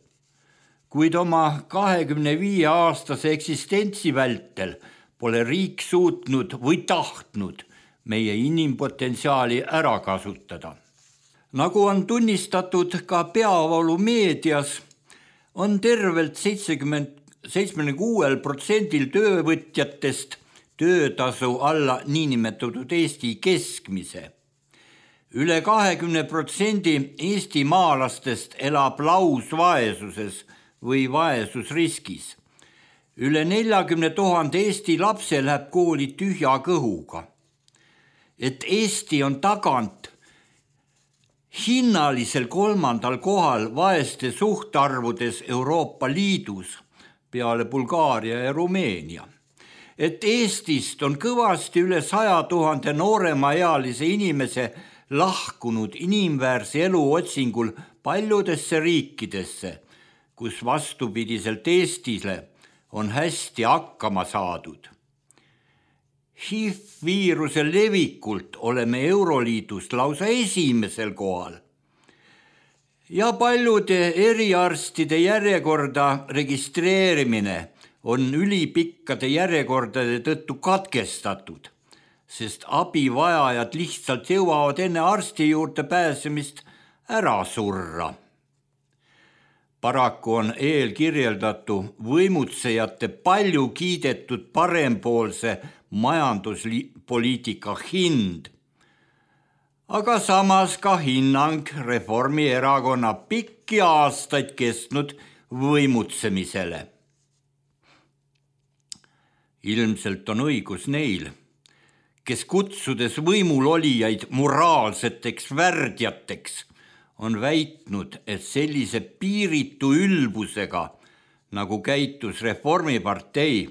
Kuid oma 25-aastase eksistentsi vältel pole riik suutnud või tahtnud meie inimpotentsiaali ära kasutada. Nagu on tunnistatud ka peavoolumeedias, on tervelt 76% töövõtjatest töötasu alla niinimetatud Eesti keskmise. Üle 20% Eesti maalastest elab lausvaesuses või vaesusriskis. Üle 40 000 Eesti lapse läheb kooli tühja kõhuga. Et Eesti on tagant hinnalisel 3. kohal vaeste suhtarvudes Euroopa Liidus peale Bulgaaria ja Rumeenia. Et Eestist on kõvasti üle 100 000 nooremaealise inimese lahkunud inimväärse elu otsingul paljudesse riikidesse, kus vastupidiselt Eestile on hästi hakkama saadud. HIV-viiruse levikult oleme Euroliidust lausa esimesel kohal. Ja paljude eriarstide järjekorda registreerimine on ülipikkade järjekordade tõttu katkestatud, sest abivajajad lihtsalt jõuavad enne arsti juurde pääsemist ära surra. Paraku on eelkirjeldatu võimutsejate palju kiidetud parempoolse majanduspoliitika hind, aga samas ka hinnang Reformierakonna pikki aastaid kestnud võimutsemisele. Ilmselt on õigus neil, kes kutsudes võimulolijaid moraalseteks värdjateks on väitnud, et sellise piiritu ülbusega, nagu käitus Reformipartei,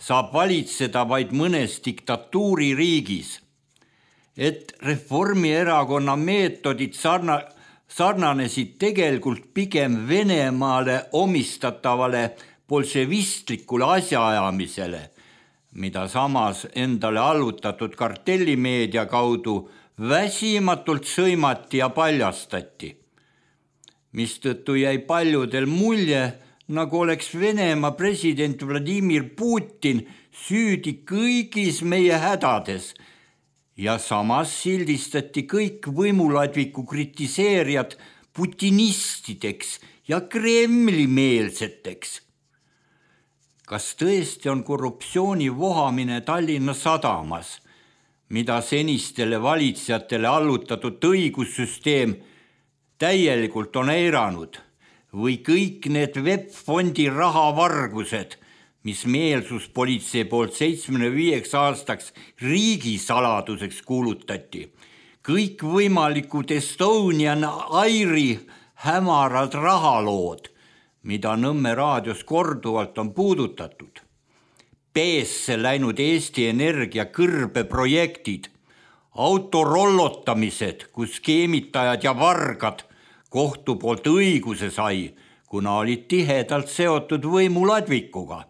saab valitseda vaid mõnes diktatuuririigis, et Reformierakonna meetodid sarnanesid tegelikult pigem Venemaale omistatavale bolševistlikule asjaajamisele, mida samas endale allutatud kartellimeedia kaudu väsimatult sõimati ja paljastati, mistõttu jäi paljudel mulje, nagu oleks Venemaa president Vladimir Putin süüdi kõigis meie hädades ja samas sildistati kõik võimuladviku kritiseerijad putinistideks ja Kremli-meelseteks. Kas tõesti on korruptsiooni vohamine Tallinna sadamas, mida senistele valitsejatele allutatud õigussüsteem täielikult on eiranud, või kõik need VEB-fondi rahavargused, mis meelsuspolitsei poolt 75 aastaks riigisaladuseks kuulutati, kõik võimalikud Estonian Airi hämarad rahalood, mida Nõmme raadios korduvalt on puudutatud, peesse läinud Eesti Energia kõrbeprojektid, autorollotamised, kus skeemitajad ja vargad kohtu poolt õiguse sai, kuna olid tihedalt seotud võimuladvikuga.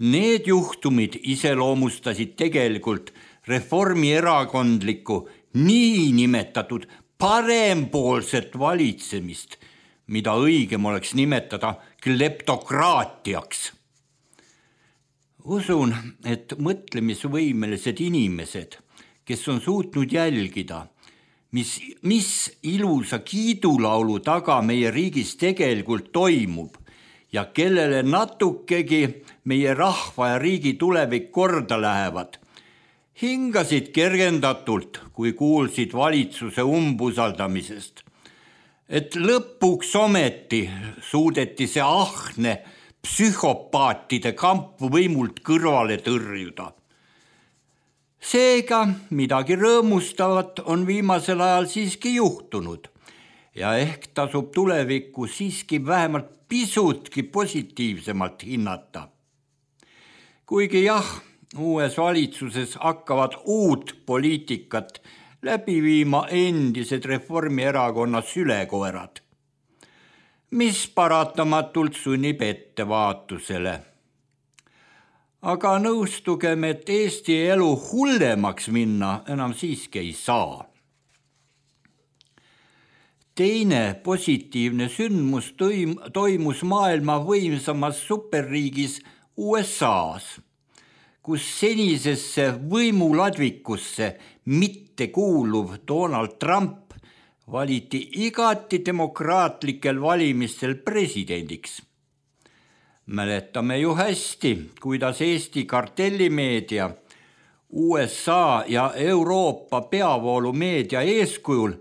Need juhtumid iseloomustasid tegelikult reformierakondlikku niinimetatud parempoolset valitsemist, mida õigem oleks nimetada kleptokraatiaks. Usun, et mõtlemisvõimelised inimesed, kes on suutnud jälgida, mis ilusa kiidulaulu taga meie riigis tegelikult toimub ja kellele natukegi meie rahva ja riigi tulevik korda lähevad, hingasid kergendatult, kui kuulsid valitsuse umbusaldamisest, et lõpuks ometi suudeti see ahne psühhopaatide kamp võimult kõrvale tõrjuda. Seega midagi rõõmustavat on viimasel ajal siiski juhtunud ja ehk tasub tulevikku siiski vähemalt pisutki positiivsemalt hinnata. Kuigi jah, uues valitsuses hakkavad uut poliitikat läbi viima endised Reformierakonna sülekoerad, mis paratamatult sunnib ettevaatusele. Aga nõustugem, et Eesti elu hullemaks minna enam siiski ei saa. Teine positiivne sündmus toimus maailma võimsamas superriigis USAs, kus senisesse võimuladvikusse mitte kuuluv Donald Trump valiti igati demokraatlikel valimistel presidendiks. Mäletame ju hästi, kuidas Eesti kartellimeedia, USA ja Euroopa peavoolumeedia eeskujul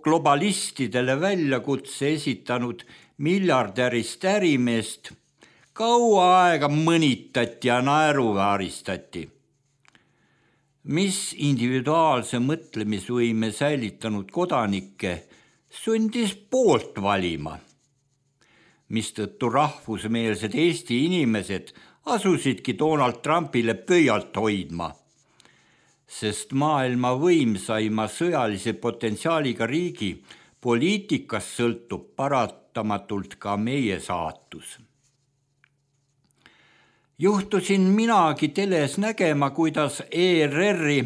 globalistidele väljakutse esitanud miljardärist ärimeest kaua aega mõnitati ja naeruvääristati, mis individuaalse mõtlemisvõime säilitanud kodanikke sundis poolt valima, mistõttu rahvusmeelsed Eesti inimesed asusidki Donald Trumpile pöialt hoidma, sest maailma võimsaima sõjalise potentsiaaliga riigi poliitikast sõltub paratamatult ka meie saatus. Juhtusin minagi teles nägema, kuidas ERR-i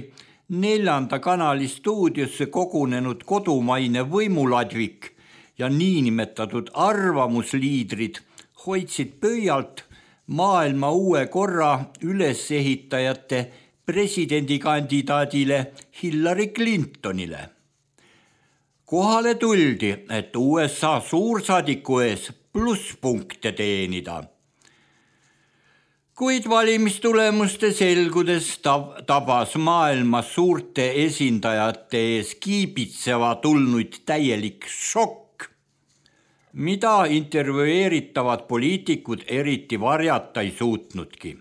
4. kanali stuudiosse kogunenud kodumaine võimuladvik ja niinimetatud arvamusliidrid hoidsid pöialt maailma uue korra ülesehitajate presidendikandidaadile Hillary Clintonile. Kohale tuldi, et USA suursaadiku ees plusspunkte teenida. Kuid valimistulemuste selgudes tabas maailma suurte esindajate ees kiibitseva tulnuid täielik šokk, mida intervjueeritavad poliitikud eriti varjata ei suutnudki.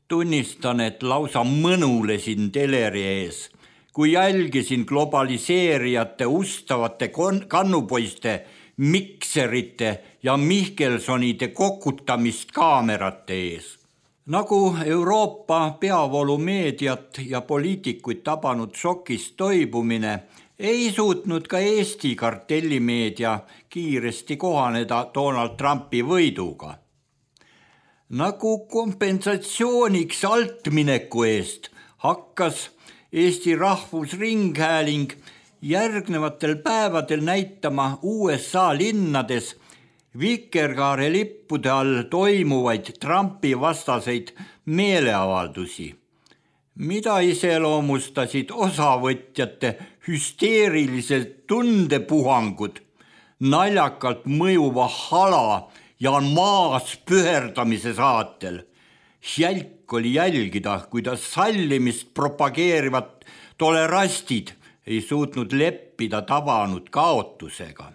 Tunnistan, et lausa mõnulesin teleri ees, kui jälgisin globaliseerijate ustavate kannupoiste, mikserite ja Mihkelsonide kokutamist kaamerate ees. Nagu Euroopa peavoolumeediat ja poliitikuid tabanud šokist toibumine, ei suutnud ka Eesti kartellimeedia kiiresti kohaneda Donald Trumpi võiduga. Nagu kompensatsiooniks altmineku eest hakkas Eesti Rahvusringhääling järgnevatel päevadel näitama USA linnades vikerkaare lippude all toimuvaid Trumpi vastaseid meeleavaldusi, mida iseloomustasid osavõtjate hüsteerilised tundepuhangud, naljakalt mõjuva hala ja maas püherdamise saatel. Jälk oli jälgida, kuidas sallimist propageerivad tolerastid ei suutnud leppida tabanud kaotusega.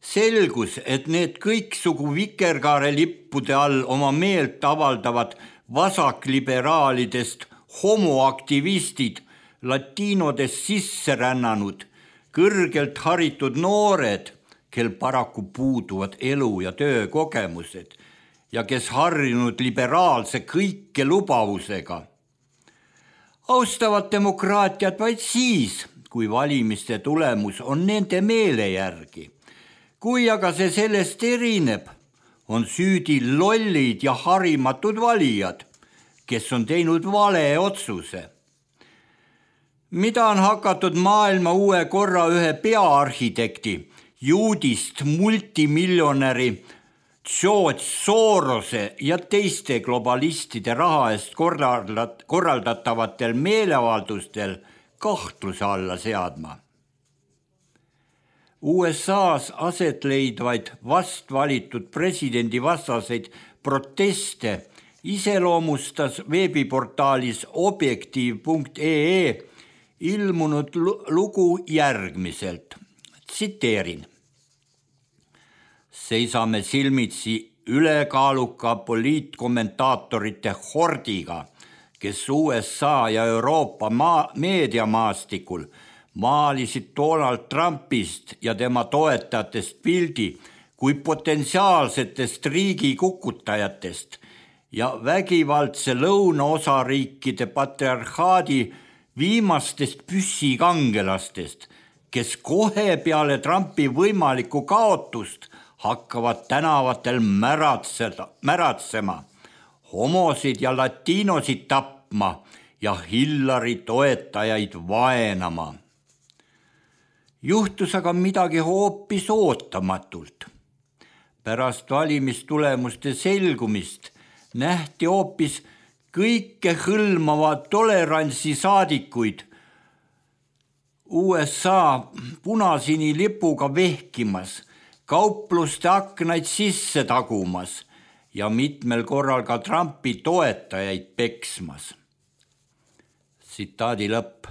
Selgus, et need kõiksugu vikerkaare lippude all oma meelt avaldavad vasakliberaalidest homoaktivistid, latiinodest sisse rännanud, kõrgelt haritud noored, kel paraku puuduvad elu- ja töökogemused ja kes harjunud liberaalse kõikelubavusega. Austavad demokraatiat vaid siis, kui valimiste tulemus on nende meele järgi. Kui aga see sellest erineb, on süüdi lollid ja harimatud valijad, kes on teinud vale otsuse. Mida on hakatud maailma uue korra ühe peaarhitekti, juudist multimiljonäri George Sorose ja teiste globalistide raha eest korraldatavatel meeleavaldustel kahtluse alla seadma. USA-s aset leidvaid vastvalitud presidendi vastaseid proteste iseloomustas veebiportaalis objektiiv.ee ilmunud lugu järgmiselt. Tsiteerin. Seisame silmitsi ülekaaluka poliitkommentaatorite hordiga, kes USA ja Euroopa meediamaastikul maalisid Donald Trumpist ja tema toetajatest pildi kui potentsiaalsetest riigikukutajatest ja vägivaldse lõunaosariikide patriarhaadi viimastest püssikangelastest, kes kohe peale Trumpi võimalikku kaotust hakkavad tänavatel märatsema, homosid ja latiinosid tapma ja Hillary toetajaid vaenama. Juhtus aga midagi hoopis ootamatult. Pärast valimistulemuste selgumist nähti hoopis kõike hõlmava tolerantsi saadikuid USA punasini lipuga vehkimas, kaupluste aknaid sisse tagumas ja mitmel korral ka Trumpi toetajaid peksmas. Tsitaadi lõpp.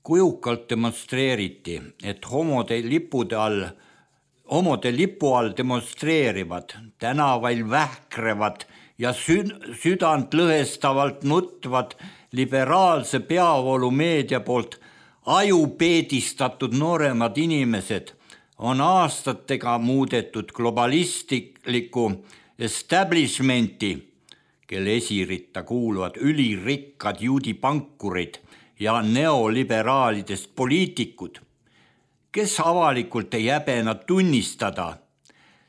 Kujukalt demonstreeriti, et homode lipu all demonstreerivad, tänavail vähkrevad ja südant lõhestavalt nutvad liberaalse peavoolumeedia poolt ajupeedistatud nooremad inimesed on aastatega muudetud globalistliku establishmenti, kelle esiritta kuuluvad ülirikkad juudipankurid ja neoliberaalidest poliitikud, kes avalikult ei häbena tunnistada.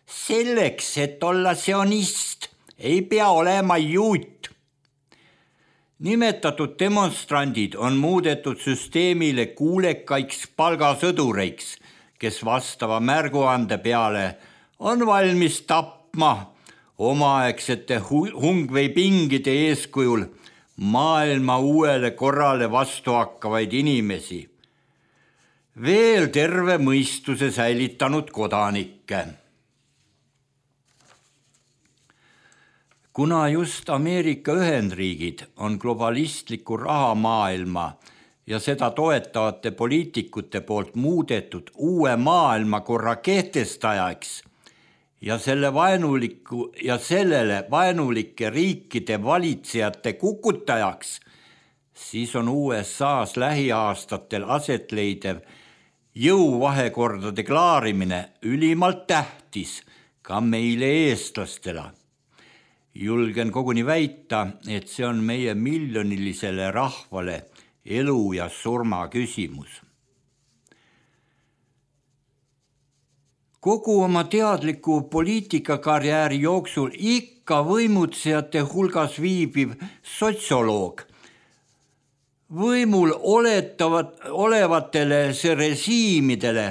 Selleks, et olla sionist, ei pea olema juut. Nimetatud demonstrandid on muudetud süsteemile kuulekaiks palgasõdureiks, kes vastava märguande peale on valmis tapma omaaegsete hungveipingide eeskujul maailma uuele korrale vastu hakkavaid inimesi, veel terve mõistuse säilitanud kodanikke. Kuna just Ameerika Ühendriigid on globalistliku rahamaailma ja seda toetavate poliitikute poolt muudetud uue maailmakorra kehtestajaks ja sellele vaenulike riikide valitsejate kukutajaks, siis on USAs lähiaastatel aset leidev jõuvahekordade klaarimine ülimalt tähtis ka meile eestlastele. Julgen koguni väita, et see on meie miljonilisele rahvale elu ja surma küsimus. Kogu oma teadliku poliitikakarjääri jooksul ikka võimutsejate hulgas viibiv sotsioloog. Võimul olevatele režiimidele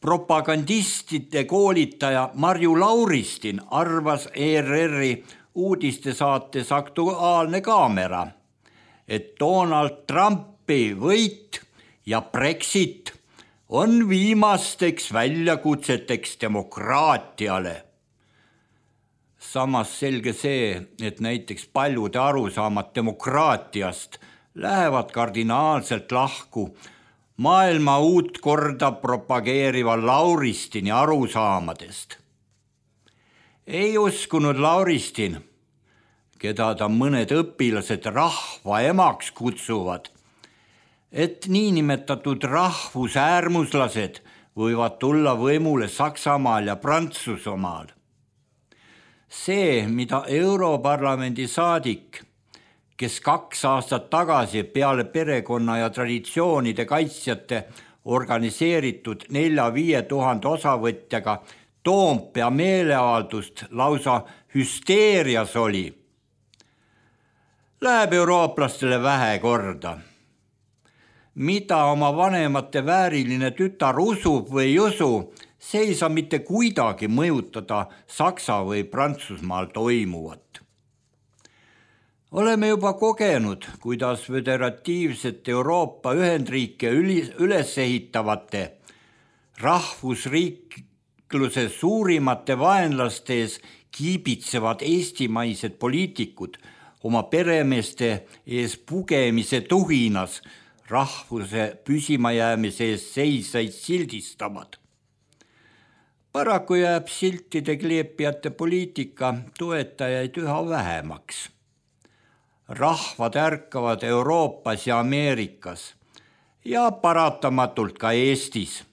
propagandistide koolitaja Marju Lauristin arvas ERR-i uudistesaates Aktuaalne kaamera, et Donald Trumpi võit ja Brexit on viimasteks väljakutseteks demokraatiale. Samas selge see, et näiteks paljude arusaamad demokraatiast lähevad kardinaalselt lahku maailma uut korda propageeriva Lauristini arusaamadest. Ei uskunud Lauristin, keda ta mõned õpilased rahva emaks kutsuvad, et niinimetatud rahvusäärmuslased võivad tulla võimule Saksamaal ja Prantsusmaal. See, mida Europarlamendi saadik, kes 2 aastat tagasi peale perekonna ja traditsioonide kaitsjate organiseeritud 4-5 tuhande osavõtjaga Toompea meeleavaldust lausa hüsteerias oli, läheb eurooplastele vähe korda. Mida oma vanemate vääriline tütar usub või ei usu, see ei saa mitte kuidagi mõjutada Saksa või Prantsusmaal toimuvat. Oleme juba kogenud, kuidas föderatiivset Euroopa Ühendriike üles ehitavate rahvusriikluse suurimate vaenlaste ees kiibitsevad eestimaised poliitikud oma peremeeste ees pugemise tuhinas rahvuse püsimajäämise ees seisaid sildistavad. Paraku jääb siltide kleepijate poliitika toetajaid üha vähemaks. Rahvad ärkavad Euroopas ja Ameerikas ja paratamatult ka Eestis.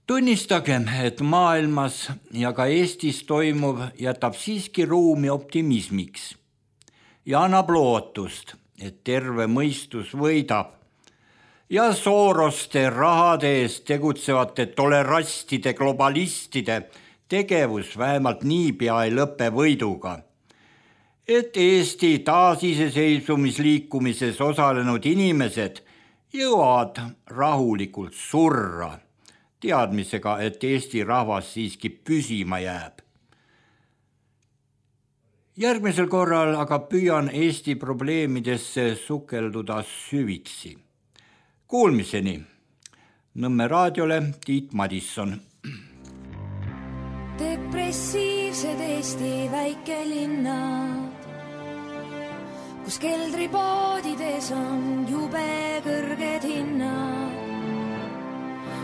Tunnistagem, et maailmas ja ka Eestis toimuv jätab siiski ruumi optimismiks ja annab lootust, et terve mõistus võidab ja Soroste rahade eest tegutsevate tolerastide globalistide tegevus vähemalt niipea ei lõpe võiduga, et Eesti taasiseseisvumisliikumises osalenud inimesed jõuavad rahulikult surra, teadmisega, et Eesti rahvas siiski püsima jääb. Järgmisel korral aga püüan Eesti probleemidesse sukelduda süvitsi. Kuulmiseni. Nõmme raadiole Tiit Madisson.
Depressiivsed Eesti väikelinnad, kus keldripoodides on jube kõrged hinnad,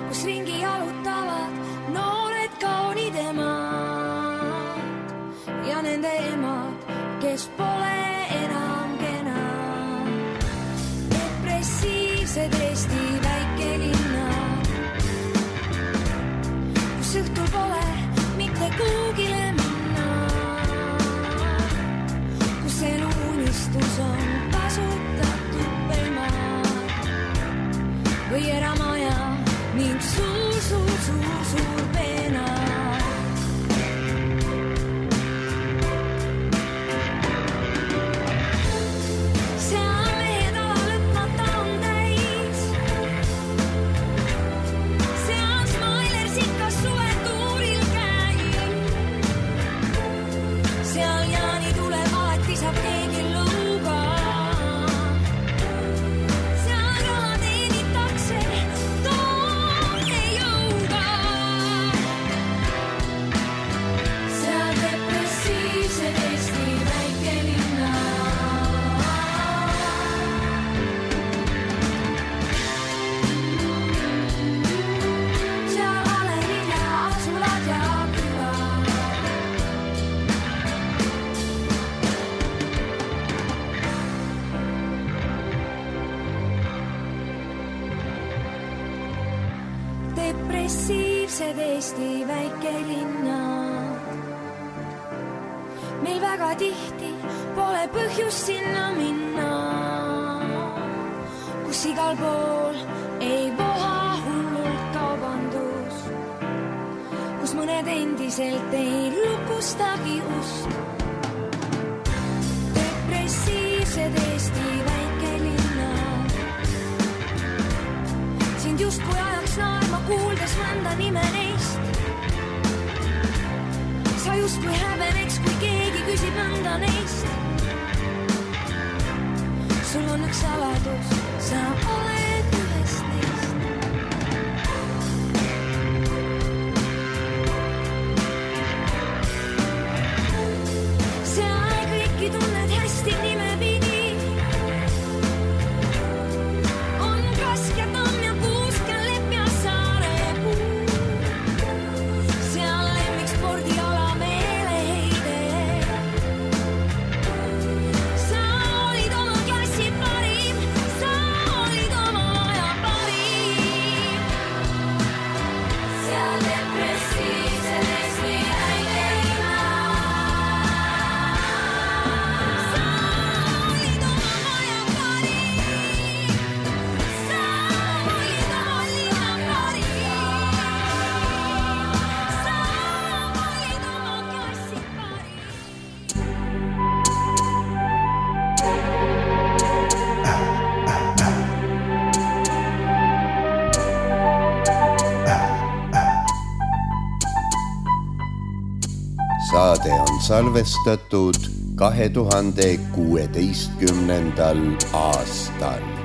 kus ringi jalutavad noored kaunid emad ja nende emad, kes pole enam kenad. Depressiivsed Eesti väikelinnad, kus õhtul pole mitte kuugile minna, kus eluunistus on kasutatud pelmad või eramaja ning suur peena. Depressiivsed Eesti väikelinnad, meil väga tihti pole põhjust sinna minna, kus igal pool ei voha hullult kaubandus päriselt ei lukustagi ust. Depressiivsed Eesti väikelinna. Sind justkui ajaks naerma kuuldes mõnda nime neist. Sa justkui häbeneks, kui keegi küsib mõnda neist. Sul on üks saladus, sa oled ühest neist. See aeg kõiki tunned hästi nimepidi. On Kaskjatamm ja Puusk ja Lepp ja Saarepuu. Seal lemmik spordiala meeleheide. Sa olid oma klassi parim, sa olid oma aja parim. Seal depressiivsed Eesti väikelinna. Sa olid oma aja parim, sa olid oma linna parim. Sa olid oma klassi parim.
Saade on salvestatud 2016. aastal.